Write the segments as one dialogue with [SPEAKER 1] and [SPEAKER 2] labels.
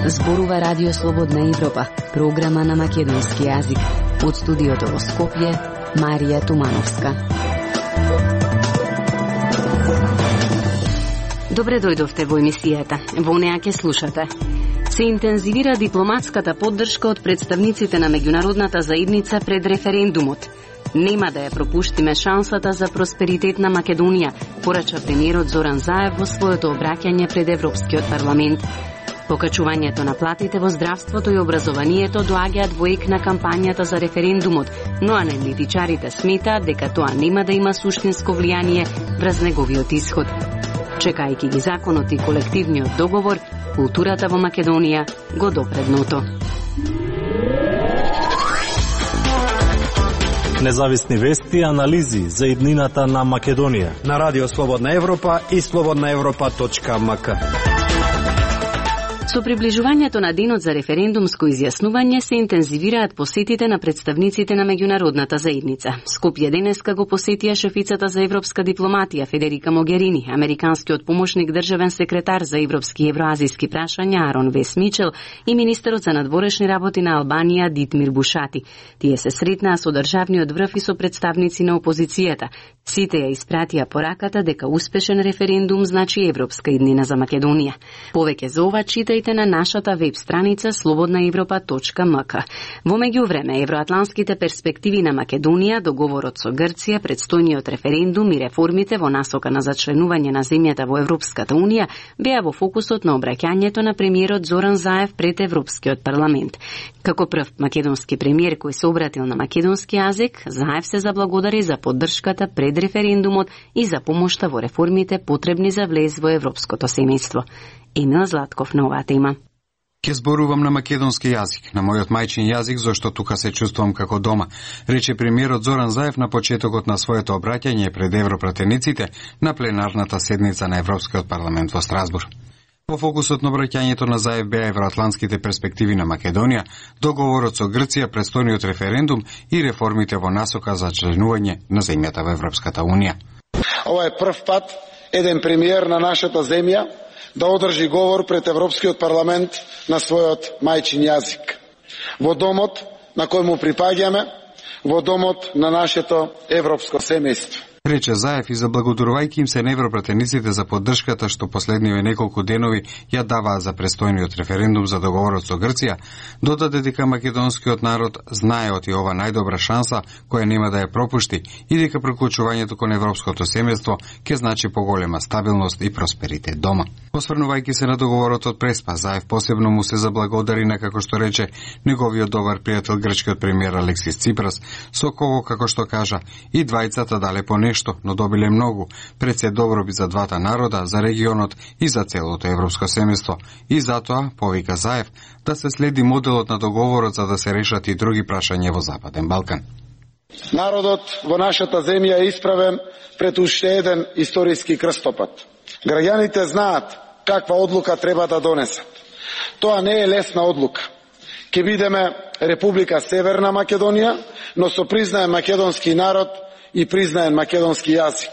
[SPEAKER 1] Зборува Радио Слободна Европа, програма на македонски јазик. Од студиото во Скопје, Марија Тумановска. Добре дојдовте во емисијата. Во неа ќе слушате. Се интензивира дипломатската поддршка од представниците на меѓународната заедница пред референдумот. Нема да ја пропуштиме шансата за просперитет на Македонија, порача премиерот Зоран Заев во своето обраќање пред Европскиот парламент. Покачувањето на платите во здравството и образованието доаѓаат во ек на кампањата за референдумот, но аналитичарите сметаат дека тоа нема да има суштинско влијание врз неговиот исход. Чекајќи ги законот и колективниот договор, културата во Македонија го допре дното.
[SPEAKER 2] Независни вести и анализи за иднината на Македонија
[SPEAKER 3] на Радио Слободна Европа и slobodnaevropa.mk.
[SPEAKER 1] Со приближувањето на денот за референдумско изјаснување се интензивираат посетите на представниците на меѓународната заедница. Скопје денеска го посетија шефицата за европска дипломатија Федерика Могерини, американскиот помошник државен секретар за европски и евроазиски прашања Арон Вес Мичел и министерот за надворешни работи на Албанија Дитмир Бушати. Тие се сретнаа со државниот врв и со представници на опозицијата. Сите ја испратија пораката дека успешен референдум значи европска иднина за Македонија. Повеќе за ова читајте на нашата веб страница slobodnaevropa.mk. Во меѓувреме, евроатланските перспективи на Македонија, договорот со Грција, предстојниот референдум и реформите во насока на зачленување на земјата во Европската унија беа во фокусот на обраќањето на премиерот Зоран Заев пред Европскиот парламент. Како прв македонски премиер кој се обратил на македонски јазик, Заев се заблагодари за поддршката пред референдумот и за помошта во реформите потребни за влез во европското семејство. Емил Златков на оваа тема.
[SPEAKER 4] Ке зборувам на македонски јазик, на мојот мајчин јазик, зашто тука се чувствувам како дома, рече премиерот Зоран Заев на почетокот на своето обраќање пред европратениците на пленарната седница на Европскиот парламент во Страсбург. Во фокусот на обраќањето на Заев беа евроатлантските перспективи на Македонија, договорот со Грција, предстојниот референдум и реформите во насока за членување на земјата во Европската унија.
[SPEAKER 5] Ова е прв пат еден премиер на нашата земја да одржи говор пред Европскиот парламент на својот мајчин јазик. Во домот на кој му припаѓаме, во домот на нашето европско семејство.
[SPEAKER 4] Рече Заев и заблагодарувајќи им се на европратениците за поддршката што последниве неколку денови ја даваа за престојниот референдум за договорот со Грција, додаде дека македонскиот народ знаеот и ова најдобра шанса која нема да ја пропушти и дека приклучувањето кон европското семејство ќе значи поголема стабилност и просперитет дома. Осврнувајќи се на договорот од Преспа, Заев посебно му се заблагодари на, како што рече, неговиот добар пријател грчкиот премиер Алексис Ципрас, со кого, како што кажа, и двајцата дале по нешто, но добиле многу, пред се добробит за двата народа, за регионот и за целото европско семејство. И затоа, повика Заев, да се следи моделот на договорот за да се решат и други прашања во Западен Балкан.
[SPEAKER 5] Народот во нашата земја е исправен пред уште еден историски крстопат. Граѓаните знаат каква одлука треба да донесат. Тоа не е лесна одлука. Ке бидеме Република Северна Македонија, но со признаен македонски народ и признаен македонски јазик.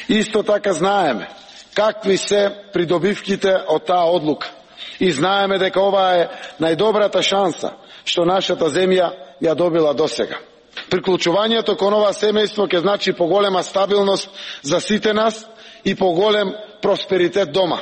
[SPEAKER 5] Исто така знаеме какви се придобивките од таа одлука. И знаеме дека ова е најдобрата шанса што нашата земја ја добила досега. Приклучувањето кон ова семејство ќе значи поголема стабилност за сите нас и поголем просперитет дома.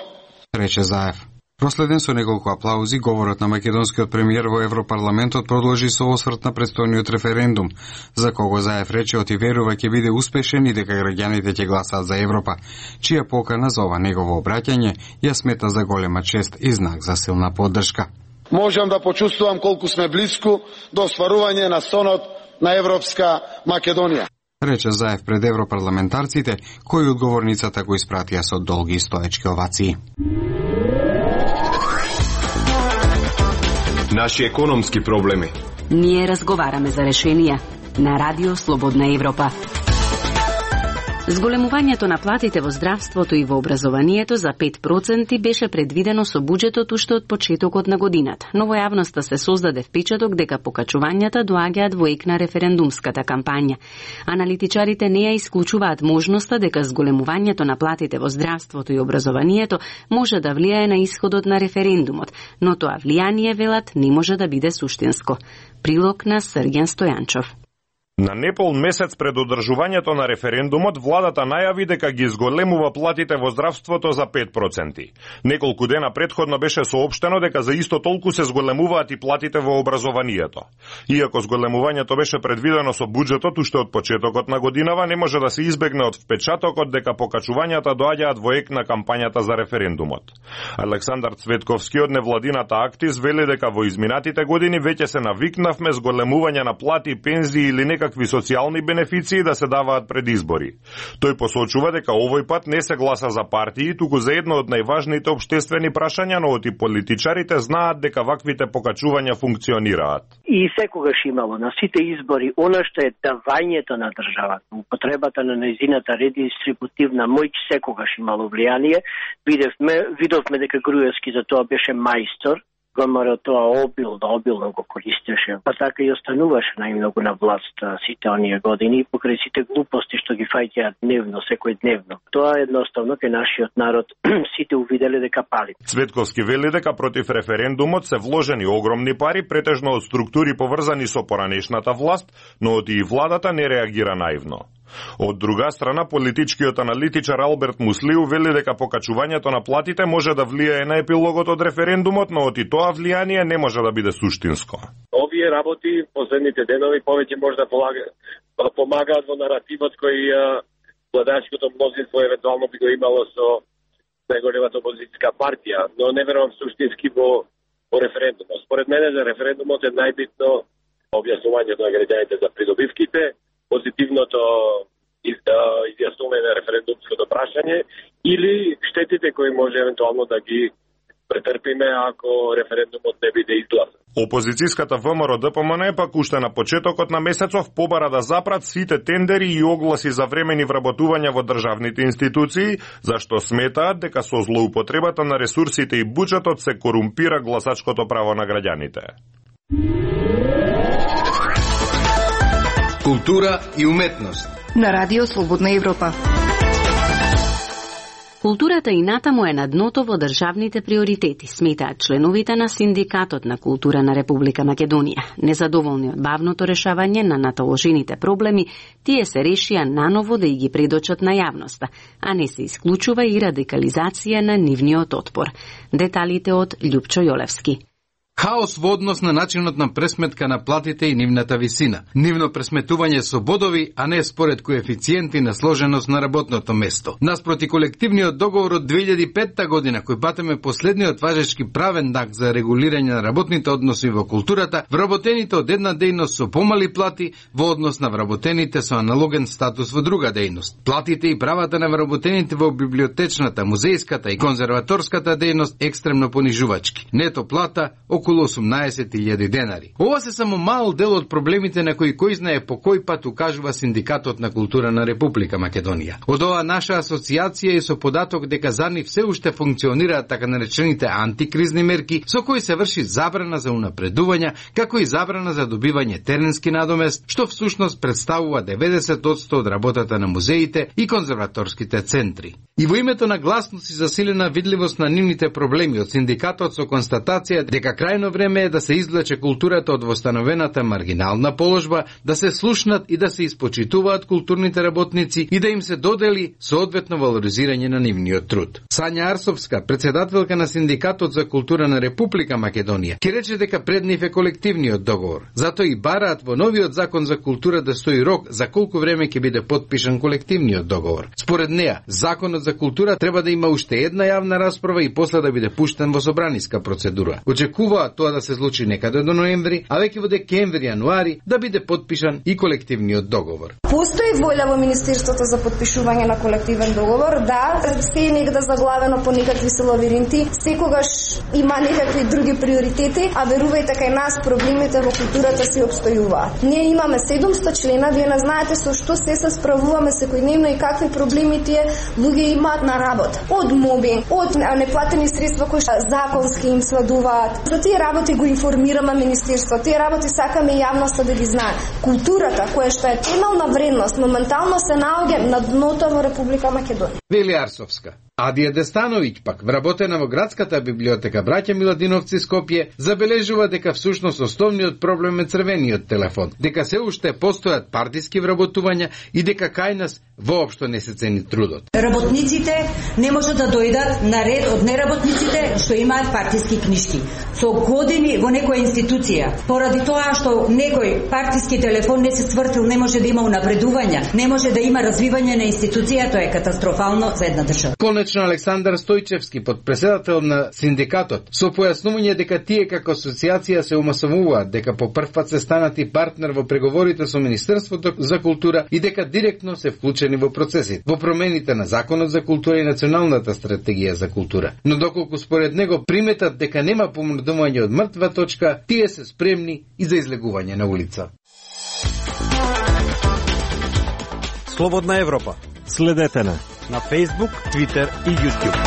[SPEAKER 4] Рече Заев. Проследен со неколку аплаузи, говорот на македонскиот премиер во Европарламентот продолжи со осврт на престојниот референдум, за кого Заев рече и верува ќе биде успешен и дека граѓаните ќе гласаат за Европа, чија покана за ова негово обраќање ја смета за голема чест и знак за силна поддршка.
[SPEAKER 5] Можам да почувствувам колку сме близко до остварување на сонот на Европска Македонија.
[SPEAKER 4] Рече Заев пред европарламентарците, кои одговорницата го испратија со долги стоечки овации.
[SPEAKER 6] Наши економски проблеми.
[SPEAKER 1] Ние разговараме за решенија на Радио Слободна Европа. Зголемувањето на платите во здравството и во образованието за 5% беше предвидено со буџетот уште од почетокот на годината, но во јавноста се создаде впечаток дека покачувањата доаѓаат во ек на референдумската кампања. Аналитичарите не ја исклучуваат можноста дека зголемувањето на платите во здравството и образованието може да влијае на исходот на референдумот, но тоа влијание, велат, не може да биде суштинско. Прилог на Срген Стојанчов.
[SPEAKER 7] На непол месец пред одржувањето на референдумот, владата најави дека ги зголемува платите во здравството за 5%. Неколку дена предходно беше соопштено дека за исто толку се зголемуваат и платите во образованието. Иако зголемувањето беше предвидено со буџетот уште од почетокот на годинава, не може да се избегне од впечатокот дека покачувањата доаѓаат во ек на кампањата за референдумот. Александар Цветковски од невладината Актис вели дека во изминатите години веќе се навикнавме зголемување на плати, пензии или некакви социјални бенефиции да се даваат пред избори. Тој посочува дека овој пат не се гласа за партии, туку за едно од најважните општествени прашања, но и политичарите знаат дека ваквите покачувања функционираат.
[SPEAKER 8] И секогаш имало на сите избори она што е давањето на државата, употребата на нејзината редистрибутивна моќ секогаш имало влијание. Видовме дека Груевски за тоа беше мајстор. ВМРО тоа обилно го користеше. Па така и остануваше најмногу на власт сите оние години, покрај сите глупости што ги фаќаат дневно, секојдневно. Тоа едноставно кај нашиот народ сите увиделе дека пали.
[SPEAKER 7] Цветковски вели дека против референдумот се вложени огромни пари, претежно од структури поврзани со поранешната власт, но од и владата не реагира наивно. Од друга страна, политичкиот аналитичар Алберт Муслиу вели дека покачувањето на платите може да влијае на епилогот од референдумот, но од и тоа влијание не може да биде суштинско.
[SPEAKER 9] Овие работи последните денови повеќе може да помагаат во наративот кој владачкото мнозинство евентуално би го имало со најголемата опозицијска партија, но не верувам суштински во референдумот. Според мене за референдумот е најбитно објаснувањето на граѓаните за придобивките, позитивното изјаснување на референдумското прашање или штетите кои може евентуално да ги претрпиме ако референдумот не биде изгласен.
[SPEAKER 7] Опозицијската ВМРО ДПМН пак уште на почетокот на месецов побара да запрат сите тендери и огласи за времени вработувања во државните институции, зашто сметаат дека со злоупотребата на ресурсите и буџетот се корумпира гласачкото право на граѓаните.
[SPEAKER 3] Култура и уметност.
[SPEAKER 10] На Радио Слободна Европа.
[SPEAKER 1] Културата и натаму е на дното во државните приоритети, сметаат членовите на Синдикатот на култура на Република Македонија. Незадоволни од бавното решавање на наталожените проблеми, тие се решија наново да и ги предочат на јавноста, а не се исклучува и радикализација на нивниот отпор. Деталите од Љупчо Јолевски.
[SPEAKER 3] Хаос во однос на начинот на пресметка на платите и нивната висина. Нивно пресметување со бодови, а не според коефициенти на сложеност на работното место. Наспроти колективниот договор од 2005 година, кој патеме последниот важечки правен акт за регулирање на работните односи во културата, вработените од една дејност со помали плати во однос на вработените со аналоген статус во друга дејност. Платите и правата на вработените во библиотечната, музејската и конзерваторската дејност екстремно понижувачки. Нето плата околу 18.000 денари. Ова се само мал дел од проблемите на кои знае по кој пат укажува Синдикатот на култура на Република Македонија. Од ова наша асоциација и со податок дека за нив се уште функционираат така наречените антикризни мерки, со кои се врши забрана за унапредување, како и забрана за добивање теренски надомест, што всушност представува 90% од работата на музеите и конзерваторските центри. И во името на гласност и засилена видливост на нивните проблеми од Синдикатот со констатација дека крајно време е да се извлече културата од востановената маргинална положба, да се слушнат и да се испочитуваат културните работници и да им се додели соодветно валоризирање на нивниот труд. Сања Арсовска, председателка на Синдикатот за култура на Република Македонија, ќе рече дека пред нив е колективниот договор. Затоа и бараат во новиот закон за култура да стои рок за колку време ќе биде потпишан колективниот договор. Според неа, законот за култура треба да има уште една јавна расправа и после да биде пуштен во собраниска процедура. Очекуваат настојува тоа да се случи некаде до ноември, а веќе во декември-јануари да биде подпишан и колективниот договор.
[SPEAKER 11] Постои воља во Министерството за подпишување на колективен договор, да, се е негде заглавено по некакви лавиринти, секогаш има некакви други приоритети, а верувајте кај нас проблемите во културата се обстојуваат. Ние имаме 700 члена, вие не знаете со што се справуваме секојдневно и какви проблеми тие луѓе имаат на работа. Од мобинг, од неплатени средства кои законски им сведуваат. За тие работи го информираме Министерството, тие работи сакаме јавноста да ги знае. Културата, која што е темелна вредност, моментално се наоѓа на дното во Република Македонија.
[SPEAKER 3] Вели Арсовска. Адија Дестановиќ пак, вработена во градската библиотека Браќа Миладиновци Скопје, забележува дека всушност основниот проблем е црвениот телефон, дека се уште постојат партиски вработувања и дека кај нас воопшто не се цени трудот.
[SPEAKER 12] Работниците не може да дојдат на ред од неработниците што имаат партиски книжки. Со години во некоја институција, поради тоа што некој партиски телефон не се свртил, не може да има унапредување, не може да има развивање на институција, тоа е катастрофално за една држава.
[SPEAKER 3] Конечно, Александар Стојчевски, подпредседател на синдикатот, со појаснување дека тие како асоциација се умасовуваат дека по прв пат се станати партнер во преговорите со Министерството за култура и дека директно се вклучени во процесите, во промените на Законот за култура и Националната стратегија за култура. Но доколку според него приметат дека нема помрдување од мртва точка, тие се спремни и за излегување на улица.
[SPEAKER 2] Слободна Европа. Следете на Facebook, Twitter и YouTube.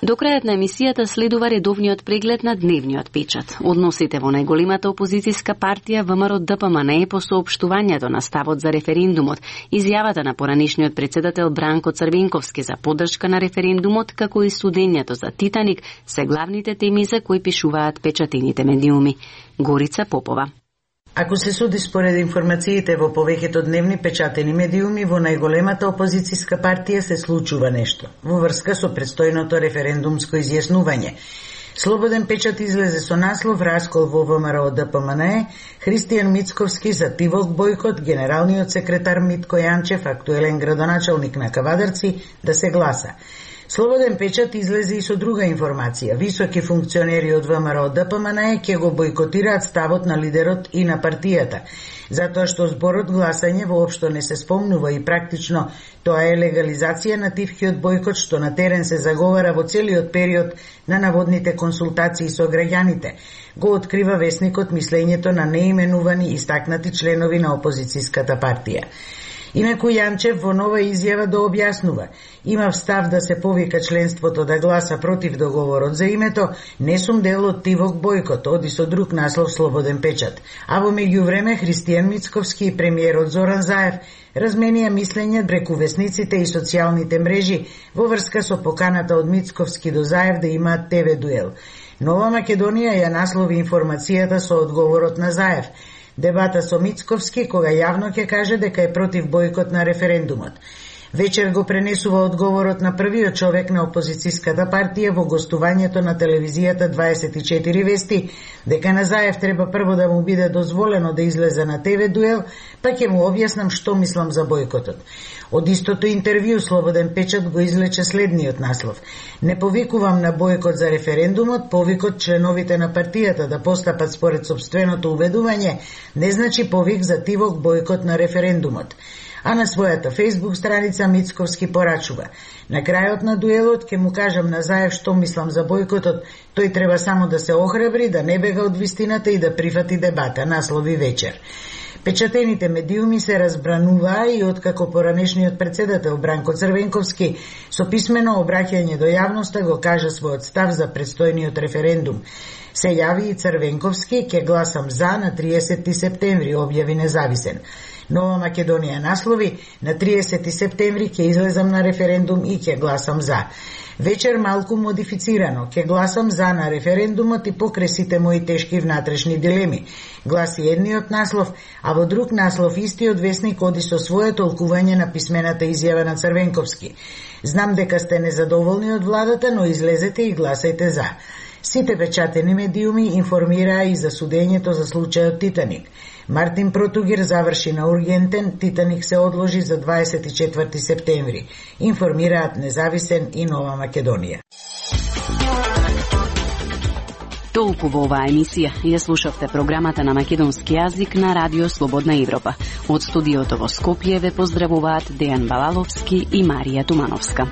[SPEAKER 1] До крајот на емисијата следува редовниот преглед на дневниот печат. Односите во најголемата опозицијска партија ВМРО-ДПМНЕ по соопштувањето на ставот за референдумот, изјавата на поранешниот председател Бранко Црвенковски за поддршка на референдумот, како и судењето за Титаник се главните теми за кои пишуваат печатените медиуми. Горица Попова.
[SPEAKER 13] Ако се суди според информациите во повеќето дневни печатени медиуми, во најголемата опозицијска партија се случува нешто во врска со предстојното референдумско изјаснување. Слободен печат излезе со наслов "Раскол во ВМРО-ДПМНЕ", Христијан Мицковски за Тивок бойкот, генералниот секретар Митко Јанчев, актуелен градоначалник на Кавадарци, да се гласа. Слободен печат излезе и со друга информација. Високи функционери од ВМРО-ДПМНЕ ќе го бойкотираат ставот на лидерот и на партијата, затоа што зборот гласање воопшто не се спомнува и практично тоа е легализација на тивкиот бойкот што на терен се заговара во целиот период на наводните консултации со граѓаните. Го открива весникот мислењето на неименувани истакнати членови на опозицијската партија. Инаку Јанчев во нова изјава да објаснува: имав став да се повика членството да гласа против договорот за името, не сум дел од Тивок бойкот, оди со друг наслов Слободен печат. А во меѓувреме Христијан Мицковски и премиерот Зоран Заев разменија мислење преку весниците и социјалните мрежи во врска со поканата од Мицковски до Заев да имаат ТВ дуел. Нова Македонија ја наслови информацијата со одговорот на Заев. Дебата со Мицковски, кога јавно ќе каже дека е против бойкот на референдумот. Вечер го пренесува одговорот на првиот човек на опозицијската партија во гостувањето на телевизијата 24 вести, дека на Заев треба прво да му биде дозволено да излезе на ТВ дуел, па ќе му објаснам што мислам за бойкотот. Од истото интервју Слободен печат го излече следниот наслов: не повикувам на бойкот за референдумот, повикот членовите на партијата да постапат според сопственото уведување не значи повик за Тивок бойкот на референдумот. А на својата Facebook страница Мицковски порачува: на крајот на дуелот ќе му кажам на Заев што мислам за бойкотот, тој треба само да се охрабри, да не бега од вистината и да прифати дебата, наслови вечер. Печатените медиуми се разбрануваа и откако поранешниот председател Бранко Црвенковски со писмено обраќање до јавноста го кажа својот став за предстојниот референдум. Се јави и Црвенковски: ќе гласам за на 30 септември, објави независен. Нова Македонија наслови: на 30 септември ќе излезам на референдум и ќе гласам за. Вечер малку модифицирано: ќе гласам за на референдумот и покрај сите мои тешки внатрешни дилеми, гласи едниот наслов, а во друг наслов истиот весник оди со свое толкување на писмената изјава на Црвенковски: знам дека сте незадоволни од владата, но излезете и гласајте за. Сите печатени медиуми информираа и за судењето за случајот Титаник. Мартин Протугир заврши на ургентен, Титаник се одложи за 24 септември. Информираат Независен и Нова Македонија.
[SPEAKER 1] Толку во оваа емисија. Ја слушавте програмата на македонски јазик на Радио Слободна Европа. Од студиото во Скопје ве поздравуваат Дејан Балаловски и Марија Тумановска.